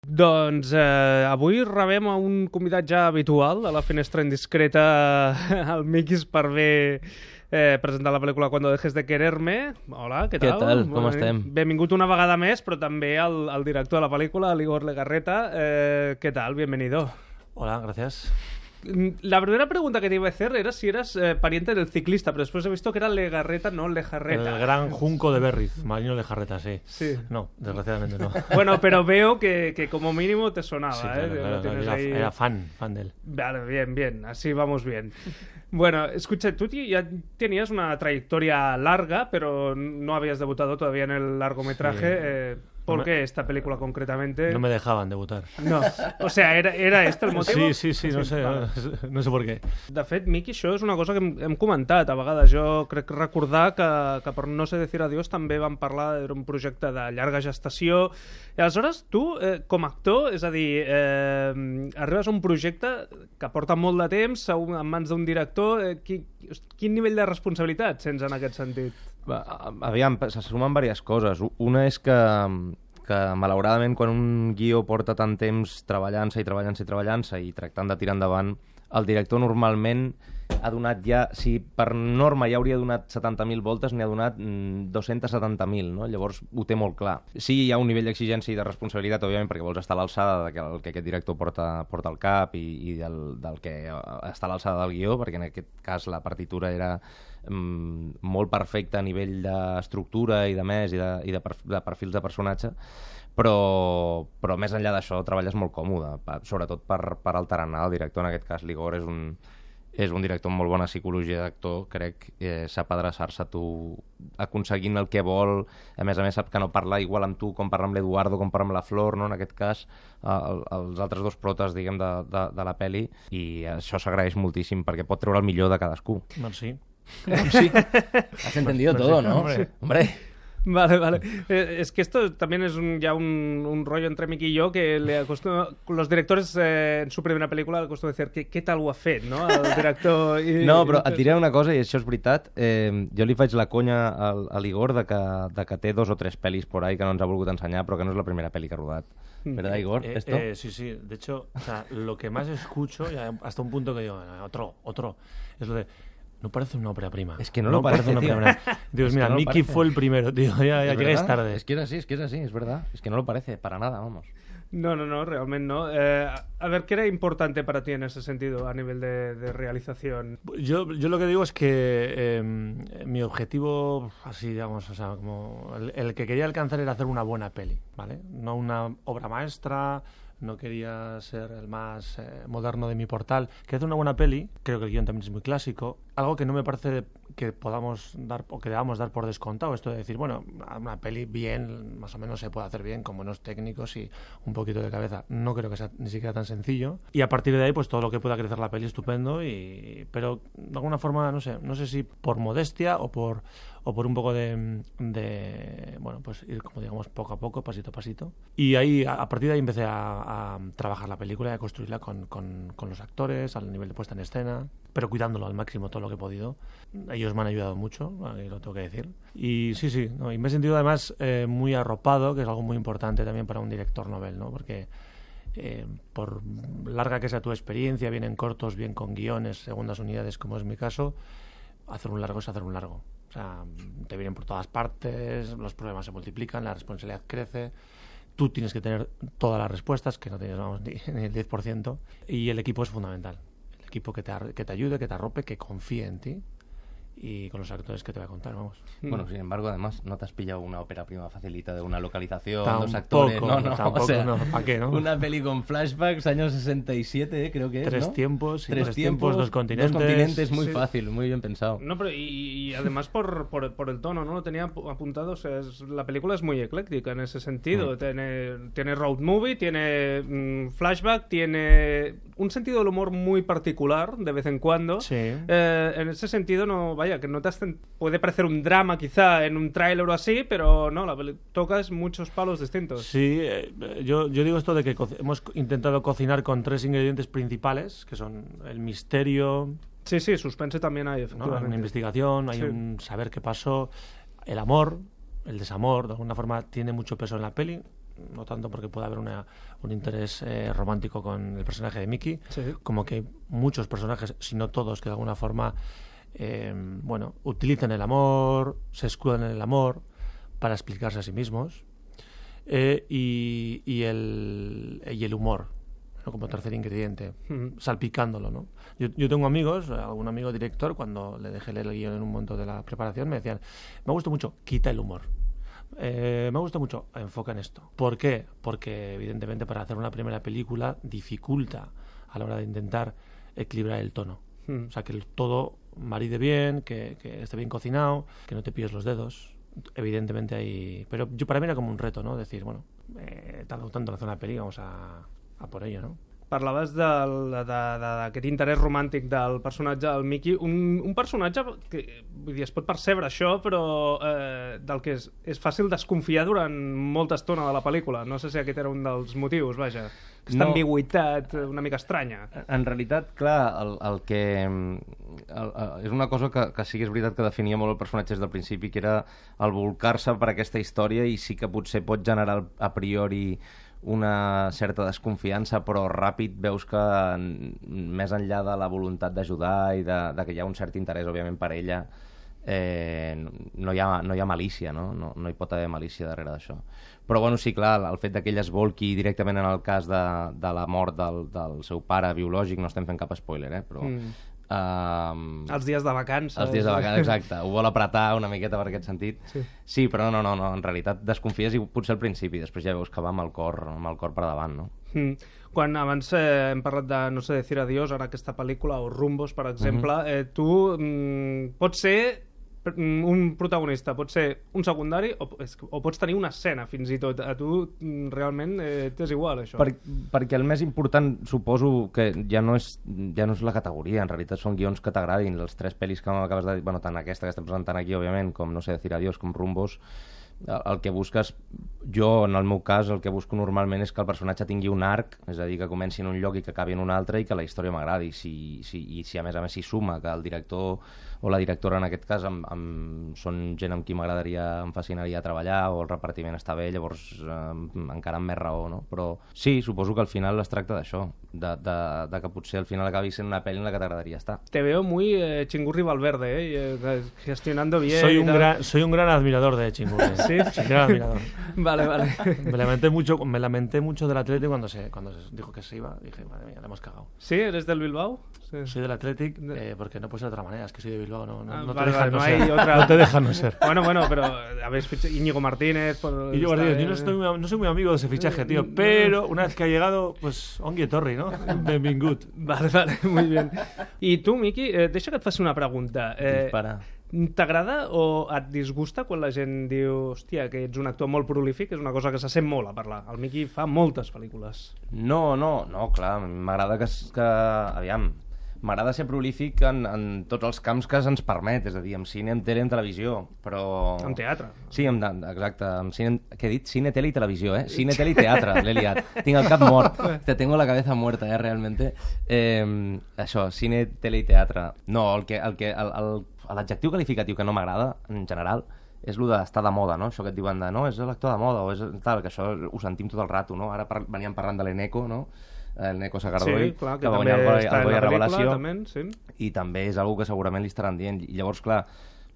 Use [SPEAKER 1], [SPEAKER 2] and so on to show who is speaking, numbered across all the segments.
[SPEAKER 1] Doncs avui rebem a un convidat ja habitual a la finestra indiscreta, el Miquis, per presentar la pel·lícula Cuando dejes de quererme. Hola, què tal?
[SPEAKER 2] Què tal? Com estem?
[SPEAKER 1] Benvingut una vegada més, però també el director de la pel·lícula, l'Igor Legarreta. ¿Qué tal? Bienvenido.
[SPEAKER 3] Hola, gracias.
[SPEAKER 1] La primera pregunta que te iba a hacer era si eras pariente del ciclista, pero después he visto que era Legarreta, no Lejarreta.
[SPEAKER 3] El gran junco de Berriz, Marino Lejarreta, sí.
[SPEAKER 1] Sí.
[SPEAKER 3] No, desgraciadamente no.
[SPEAKER 1] Bueno, pero veo que como mínimo te sonaba,
[SPEAKER 3] Sí,
[SPEAKER 1] ¿eh?
[SPEAKER 3] claro,
[SPEAKER 1] Lo tienes
[SPEAKER 3] era,
[SPEAKER 1] ahí...
[SPEAKER 3] era fan de él.
[SPEAKER 1] Vale, bien, así vamos bien. Bueno, escucha, tú ya tenías una trayectoria larga, pero no habías debutado todavía en el largometraje. ¿Por qué esta película concretamente?
[SPEAKER 3] No me dejaban debutar.
[SPEAKER 1] No, o sea, ¿era este el motiu?
[SPEAKER 3] Sí, no sé,
[SPEAKER 1] vale.
[SPEAKER 3] no sé per què.
[SPEAKER 1] De fet, Miqui, això és una cosa que hem comentat a vegades. Jo crec recordar que per No sé decir adiós també vam parlar d'un projecte de llarga gestació. I aleshores, tu, com a actor, és a dir, arribes a un projecte que porta molt de temps en mans d'un director. Quin nivell de responsabilitat sents en aquest sentit?
[SPEAKER 2] Aviam, se sumen diverses coses. Una és que malauradament quan un guió porta tant temps treballant-se i tractant de tirar endavant, el director normalment ha donat ja, si per norma ja hauria donat 70.000 voltes, n'hi ha donat 270.000, no? Llavors ho té molt clar. Sí, hi ha un nivell d'exigència i de responsabilitat, òbviament, perquè vols estar a l'alçada del que aquest director porta al cap i del que està a l'alçada del guió, perquè en aquest cas la partitura era molt perfecta a nivell d'estructura i de més, i de perfils de personatge, però més enllà d'això treballes molt còmode, sobretot per el tarannà. El director, en aquest cas l'Igor, és un director amb molt bona psicologia d'actor, crec, sap adreçar-se a tu aconseguint el que vol. A més sap que no parla igual amb tu com parla amb l'Eduardo, com parla amb la Flor, no? En aquest cas els altres dos protes, diguem, de la peli, i això s'agraeix moltíssim perquè pot treure el millor de cadascú.
[SPEAKER 3] Merci.
[SPEAKER 2] Sí, has entendido todo, ¿no? Hombre.
[SPEAKER 1] Vale. Es que esto también es ya un rollo entre Miqui y yo, que los directores en su primera película le acostumo decir què tal ho ha fet, no? El director...
[SPEAKER 2] No, però et diré una cosa, i això és veritat. Jo li faig la conya a l'Igor de que té 2 o 3 pel·lis por ahí que no ens ha volgut ensenyar, però que no és la primera pel·li que ha rodat. ¿Verdad, Igor? ¿Esto?
[SPEAKER 3] Sí. De hecho, o sea, lo que más escucho, hasta un punto que digo, otro, es lo de... No parece una ópera prima.
[SPEAKER 2] Es que no lo parece,
[SPEAKER 3] una
[SPEAKER 2] tío.
[SPEAKER 3] ópera prima. Dios, mira, Mickey fue el primero, tío. Ya llegáis tarde.
[SPEAKER 2] Es que es así, es verdad. Es que no lo parece, para nada, vamos.
[SPEAKER 1] No, realmente no. A ver, ¿qué era importante para ti en ese sentido, a nivel de realización?
[SPEAKER 3] Yo lo que digo es que mi objetivo, así digamos, o sea, como el que quería alcanzar era hacer una buena peli, ¿vale? No una obra maestra, no quería ser el más moderno de mi portal. Quería hacer una buena peli, creo que el guión también es muy clásico, algo que no me parece que podamos dar o que debamos dar por descontado, esto de decir, bueno, una peli bien, más o menos se puede hacer bien, con buenos técnicos y un poquito de cabeza. No creo que sea ni siquiera tan sencillo. Y a partir de ahí, pues todo lo que pueda crecer la peli, estupendo, pero de alguna forma, no sé si por modestia o por un poco de bueno, pues ir, como digamos, poco a poco, pasito a pasito. Y ahí, a partir de ahí empecé a trabajar la película y a construirla con los actores, al nivel de puesta en escena, pero cuidándolo al máximo todo lo que he podido. Ellos me han ayudado mucho, lo tengo que decir. Y sí, ¿no? Y me he sentido además muy arropado, que es algo muy importante también para un director novel, ¿no? Porque por larga que sea tu experiencia, bien en cortos, bien con guiones, segundas unidades, como es mi caso, hacer un largo es hacer un largo. O sea, te vienen por todas partes, los problemas se multiplican, la responsabilidad crece, tú tienes que tener todas las respuestas, que no tienes, vamos, ni el 10%, y el equipo es fundamental. El equipo que te ayude, que te arrope, que confíe en ti, y con los actores que te voy a contar, vamos.
[SPEAKER 2] Bueno, sin embargo, además, no te has pillado una ópera prima facilita de una localización,
[SPEAKER 3] tampoco,
[SPEAKER 2] 2 actores,
[SPEAKER 3] tampoco,
[SPEAKER 2] o sea,
[SPEAKER 3] no, ¿para qué, no?
[SPEAKER 2] Una peli con flashbacks, años 67, creo que es,
[SPEAKER 3] 3
[SPEAKER 2] ¿no?
[SPEAKER 3] tiempos,
[SPEAKER 2] 3 tiempos,
[SPEAKER 3] 2 continentes.
[SPEAKER 2] 2 continentes, muy
[SPEAKER 1] sí.
[SPEAKER 2] fácil, muy bien pensado.
[SPEAKER 1] No, pero y además por el tono, ¿no? Lo tenía apuntado, o sea, la película es muy ecléctica en ese sentido. Tiene road movie, tiene flashback, tiene un sentido del humor muy particular de vez en cuando.
[SPEAKER 3] Sí.
[SPEAKER 1] En ese sentido, no, vaya, que no te puede parecer un drama quizá en un tráiler o así, pero no, tocas muchos palos distintos.
[SPEAKER 3] Sí, yo digo esto de que hemos intentado cocinar con 3 ingredientes principales, que son el misterio...
[SPEAKER 1] Sí, suspense también hay, efectivamente.
[SPEAKER 3] ¿no? Hay una investigación, hay un saber qué pasó, el amor, el desamor, de alguna forma tiene mucho peso en la peli. no tanto porque pueda haber un interés romántico con el personaje de Mickey, como que muchos personajes, si no todos, que de alguna forma utilizan el amor, se escudan en el amor para explicarse a sí mismos, y el humor, ¿no? Como tercer ingrediente, salpicándolo, ¿no? Yo tengo amigos, algún amigo director, cuando le dejé leer el guión en un momento de la preparación, me decían, me gusta mucho, quita el humor. Me gusta mucho, enfoca en esto. ¿Por qué? Porque evidentemente para hacer una primera película dificulta a la hora de intentar equilibrar el tono. O sea, que todo maride bien, que esté bien cocinado, que no te pilles los dedos. Evidentemente hay... Pero para mí era como un reto, ¿no? Decir, bueno, he tardado tanto en hacer una peli, vamos a por ello, ¿no?
[SPEAKER 1] Parlaves d'aquest interès romàntic del personatge del Mickey, un personatge que, vull dir, es pot percebre això, però del que és fàcil desconfiar durant molta estona de la pel·lícula. No sé si aquest era un dels motius, vaja. Aquesta ambigüitat una mica estranya.
[SPEAKER 2] En realitat, clar, és una cosa que sí que és veritat que definia molt el personatge des del principi, que era el bolcar-se per aquesta història, i sí que potser pot generar a priori una certa desconfiança, però ràpid veus que més enllà de la voluntat d'ajudar i de que hi ha un cert interès, òbviament, per ella, no hi ha malícia, no hi pot haver malícia darrere d'això. Però bueno, sí, clar, el fet que ella es volqui directament en el cas de la mort del seu pare biològic, no estem fent cap spoiler, però...
[SPEAKER 1] els dies de vacances.
[SPEAKER 2] Els dies de vacances, exacte. Ho vol apretar una miqueta per aquest sentit. Sí, però no, en realitat desconfies i potser al principi, després ja veus que va amb el cor per davant, no?
[SPEAKER 1] Quan abans hem parlat de No sé decir adiós, ara aquesta pel·lícula, o Rumbos, per exemple, tu pots ser un protagonista, pot ser un secundari o pots tenir una escena fins i tot. A tu realment t'és igual això?
[SPEAKER 2] Perquè el més important suposo que ja no és la categoria, en realitat són guions que t'agradin. Les 3 pel·lis que m'acabes de dir, bueno, tant aquesta que estem presentant aquí, òbviament, com No sé decir adiós, com Rumbos, el que busques, jo en el meu cas el que busco normalment és que el personatge tingui un arc, és a dir, que comenci en un lloc i que acabi en un altre, i que la història m'agradi. I si a més s'hi suma que el director o la directora, en aquest cas, són gent amb qui em fascinaria treballar, o el repartiment està bé, llavors encara amb més raó, no? Però sí, suposo que al final es tracta d'això, de que potser al final acabi sent una pel·li en la que t'agradaria estar.
[SPEAKER 1] Te veo muy Chingurri Valverde, gestionando bien.
[SPEAKER 3] Soy un gran admirador de Chingurri.
[SPEAKER 1] ¿Sí?
[SPEAKER 3] Sí, gran admirador.
[SPEAKER 1] Vale.
[SPEAKER 3] Me lamenté mucho del Athletic cuando se dijo que se iba. Dije, madre mía, le hemos cagado.
[SPEAKER 1] ¿Sí? ¿Eres del Bilbao? Sí.
[SPEAKER 3] Soy del Athletic, porque no puede ser de otra manera. Es que soy de Bilbao, no te dejan no ser.
[SPEAKER 1] Bueno, pero habéis fichado Íñigo Martínez.
[SPEAKER 3] Íñigo Martínez, yo no soy muy amigo de ese fichaje, tío. Pero una vez que ha llegado, pues, Ongi Torri, ¿no? Benvingut.
[SPEAKER 1] Vale, muy bien. I tu, Miqui, deixa que et faci una pregunta.
[SPEAKER 2] Dispara.
[SPEAKER 1] T'agrada o et disgusta quan la gent diu hòstia, que ets un actor molt prolífic? És una cosa que se sent molt a parlar. El Miqui fa moltes pel·lícules.
[SPEAKER 2] No, clar, m'agrada aviam, m'agrada ser prolífic en tots els camps que se'ns permet, és a dir, en cine, en tele, en televisió, però...
[SPEAKER 1] En teatre.
[SPEAKER 2] Sí, exacte, en cine, què he dit? Cine, tele i televisió, Cine, tele i teatre, l'he liat. Tinc el cap mort, tengo la cabeza muerta, realmente. Això, cine, tele i teatre. No, l'adjectiu qualificatiu que no m'agrada, en general, és el d'estar de moda, no? Això que et diuen de, no, és l'actor de moda, o és tal, que això ho sentim tot el rato, no? Ara veníem parlant de l'Eneco, no? L'Eneco Sagardoi,
[SPEAKER 1] sí, clar,
[SPEAKER 2] que va guanyar el Goya Revelació,
[SPEAKER 1] també, sí.
[SPEAKER 2] I també és una que segurament li estaran dient. I llavors, clar,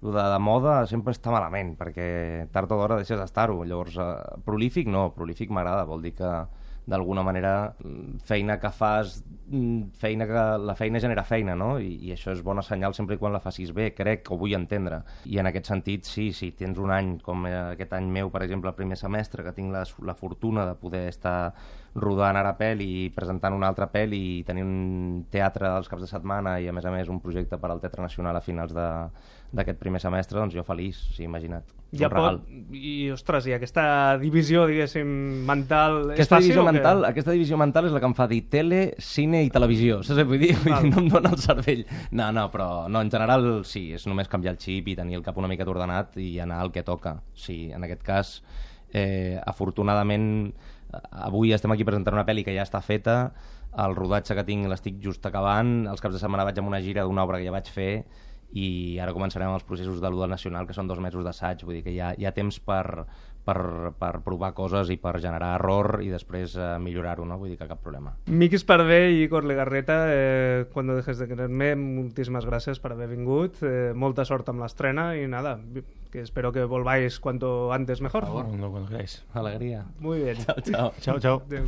[SPEAKER 2] el de moda sempre està malament, perquè tard o d'hora deixes d'estar-ho. Llavors, prolífic no, prolífic m'agrada, vol dir que d'alguna manera feina que fas, la feina genera feina, no? I això és bona senyal sempre quan la facis bé, crec, o vull entendre. I en aquest sentit, sí, si tens un any com aquest any meu, per exemple, el primer semestre, que tinc la fortuna de poder estar rodant ara pel·li i presentant una altra pel·li i tenir un teatre als caps de setmana i a més un projecte per al Teatre Nacional a finals d'aquest primer semestre, doncs jo feliç, sí, imagina't.
[SPEAKER 1] I, ostres, i aquesta divisió, diguéssim, mental és fàcil o què?
[SPEAKER 2] Aquesta divisió mental és la que em fa dir tele, cine i televisió, saps què vull dir? No em dóna el cervell. No, però en general sí, és només canviar el xip i tenir el cap una mica ordenat i anar al que toca. Sí, en aquest cas, afortunadament, avui estem aquí presentant una pel·li que ja està feta, el rodatge que tinc l'estic just acabant, els caps de setmana vaig amb una gira d'una obra que ja vaig fer i ara començarem els processos de l'U del Nacional, que són 2 mesos d'assaig, vull dir que hi ha temps per per provar coses i per generar error i després millorar-ho, no? Vull dir que cap problema.
[SPEAKER 1] Miki Esparvé y Igor Legarreta, cuando dejes de quererme, muchísimas gracias por haber vingut, molta sort amb l'estrena y nada, que espero que volváis cuanto antes mejor.
[SPEAKER 3] Por favor, cuando queráis.
[SPEAKER 2] Alegria.
[SPEAKER 1] Muy bien.
[SPEAKER 2] Chao, chao.
[SPEAKER 3] Chao, chao.
[SPEAKER 1] Adéu.